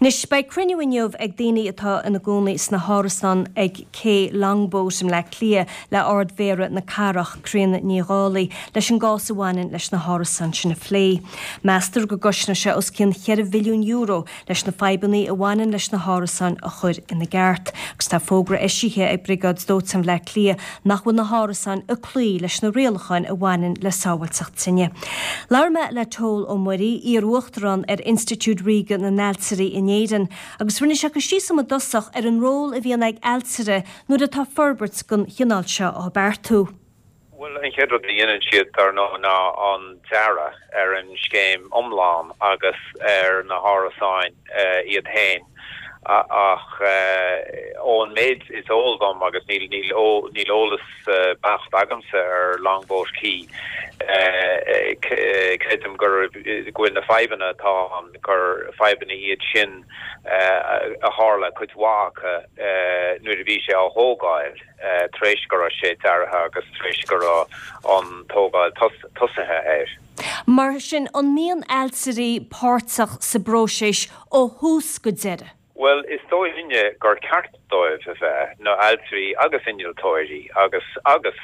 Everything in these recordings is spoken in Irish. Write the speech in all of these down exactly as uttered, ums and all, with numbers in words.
Anois beidh cruinniú inniu ag daoine atá ina gcónaí sna hárasáin ag Cé Longboat i mBleá Cliath le Ard-Mhéara na Cathrach Críona Ní Dhálaigh leis an gcás a bhaineann leis na hárasáin sin a phlé. Meastar go gcosnóidh sé os cionn ceithre mhilliún euro leis na fadhbanna a bhaineann leis na hárasáin a chur ina gceart. Agus tá fógra eisithe ag Briogáid Dóiteáin Bhleá Cliath nach bhfuil na hárasáin ag cloí leis na rialacháin a bhaineann le sábháilteacht tine. Labhair mé le Toal Ó Muirí iar-uachtarán ar Institiúid Ríoga na nAiltirí in Éirinn, agus rinne sé cur síos i dtosach ar an ról a bhíonn ag ailtire nuair atá forbairt den chineál seo á beartú. Well an chéad rud a dhéanann siad dar ndóigh ná an dearadh ar an scéim iomlán agus ar na hárasáin uh, iad féin ach ón méid is eol dom agus níl níl níl eolas beacht agamsa ar Longboat Quay creidim gur go bhfuil na fadhbanna atá ann gur fadhbanna iad sin a tharla cuid mhaith nuair a bhí sé á thógáil tar éis go raibh sé deartha agus tar éis go raibh an tógáil tosaithe air. Mar sin an mbíonn ailtirí páirteach sa bpróiseas ó thús go deireadh. Well is dóigh linne gur ceart dóibh a bheith na ailtirí agus innealtóirí agus agus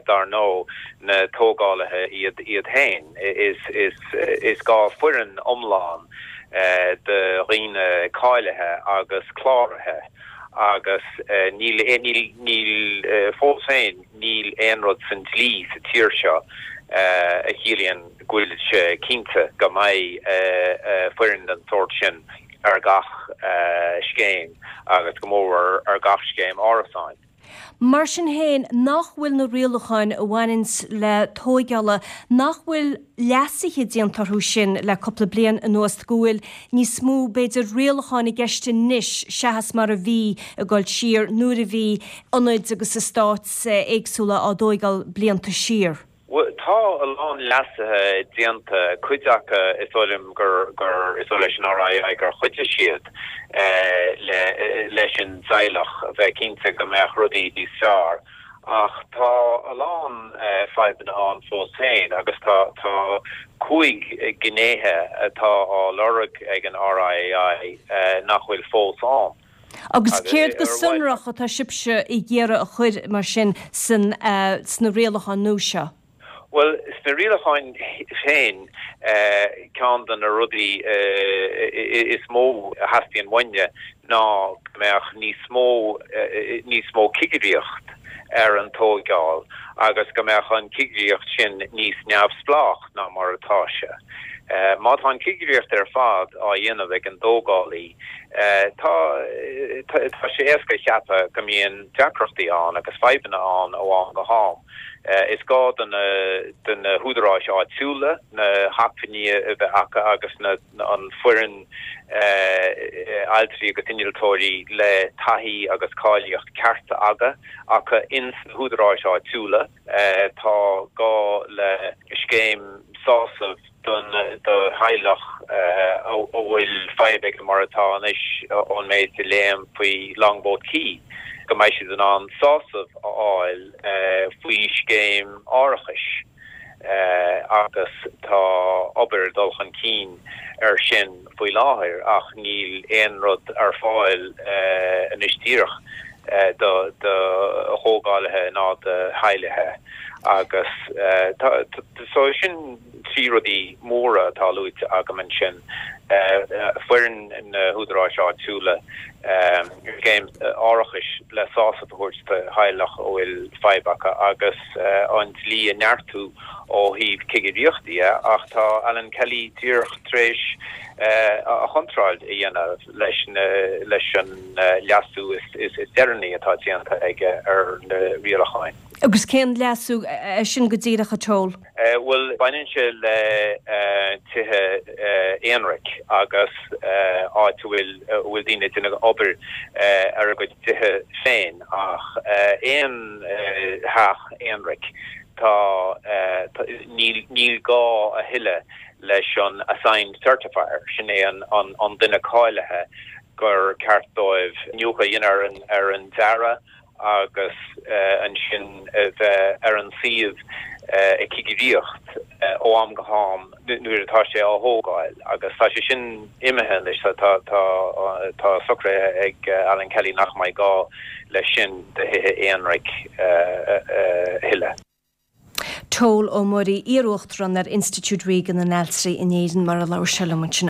dar ndóigh na tógálaithe iad iad féin is is is gá foireann iomlán uh, de dhaoine cáilithe agus cláraithe agus uh, níl níl níl uh, fós féin níl aon rud san dlí sa tír seo uh, a chiallaíonn go bhfuil sé cinnte go mbeidh uh, uh, foireann den sórt sin ar gach uh, scéim agus go mór ar gach scéim árasáin. Mar sin féin nach bhfuil na rialacháin a bhaineann le tógáil nach bhfuil leasuithe déanta orthu sin le cúpla bliain anuas go bhfuil níos mó b'fhéidir rialacháin i gceist anois seachas mar a bhí ag dul siar nuair a bhí ionaid agus eastáit éagsúla á dtógáil blianta siar. Tá a lán leasuithe déanta cuid acu is dóigh liom gur gur is leis an RIAI gur chuidigh siad le leis an teaghlach bheith cinnte go mbeadh rudaí níos fearr. Ach tá a lán fadhbanna ann fós féin agus tá tá cúig gnéithe atá á lorg ag an RIAI nach bhfuil fós ann. Agus céard go sonrach atá sibhse ag iarraidh a chur mar sin san uh, sna rialacháin nua seo? Well sna rialacháin féin ceann de na rudaí is mó a theastaíonn uainne ná go mbeadh níos mó níos mó cigireacht ar an tógáil agus go mbeadh an cigireacht sin níos neamhspleách ná mar atá sé. Uh, má tá an cigireacht ar fad á dhéanamh ag an dtógálaí uh, tá tá sé éasca ceapadh go mbíonn deacrachtaí ann agus fadhbanna ann ó am go ham. Uh, is gá do na do na húdaráis áitiúla na hacmhainní a bheith acu agus na an foireann uh, ailtirí agus innealtóirí le taithí agus cáilíocht ceart aga acu ins na húdaráis áitiúla uh, tá gá le scéim sásamh don do theaghlach a bhfuil fadhb mar atá anois ón méid a léim faoi Longboat Quay go mbeidh siad in ann sásamh a fháil faoi scéim árachais agus tá obair dul chun cinn ar sin faoi láthair ach níl aon rud ar fáil anois díreach do do thógálaithe ná do theaghlaigh agus so sin trí rudaí móra atá luaite agam ansin foireann na húdaráis áitiúla scéim árachais le sásamh a thabhairt do theaghlach a bhfuil fadhb acu agus an dlí a neartú ó thaobh cigireachtaí ach tá Alan Kelly díreach tar éis a chontráil a dhéanamh leis leis an leasú is is is deireanaí atá déanta aige ar na rialacháin. Agus cén leasú é sin go díreach a Toal? Well baineann sé le tithe aonraic agus áit bhfuil bhfuil daoine ag obair ar a gcuid tithe féin ach aon theach aonraic tá níl níl gá a thuilleadh leis an assigned certifier sin é an an an duine cáilithe gur ceart dóibh iniúchadh a dhéanamh ar an ar an dearadh agus uh, ansin bheith ar an suíomh ag cigireacht ó am go ham nuair atá sé á thógáil agus tá sé sin imithe leis tá tá tá socraithe ag Alan Kelly nach mbeidh gá leis sin do thithe aonraic a thuilleadh. Pól Ó Muirí, iar-uachtarán ar Institiúid Ríoga na nAltraí in Éirinn mar a labhair sé liom ansin.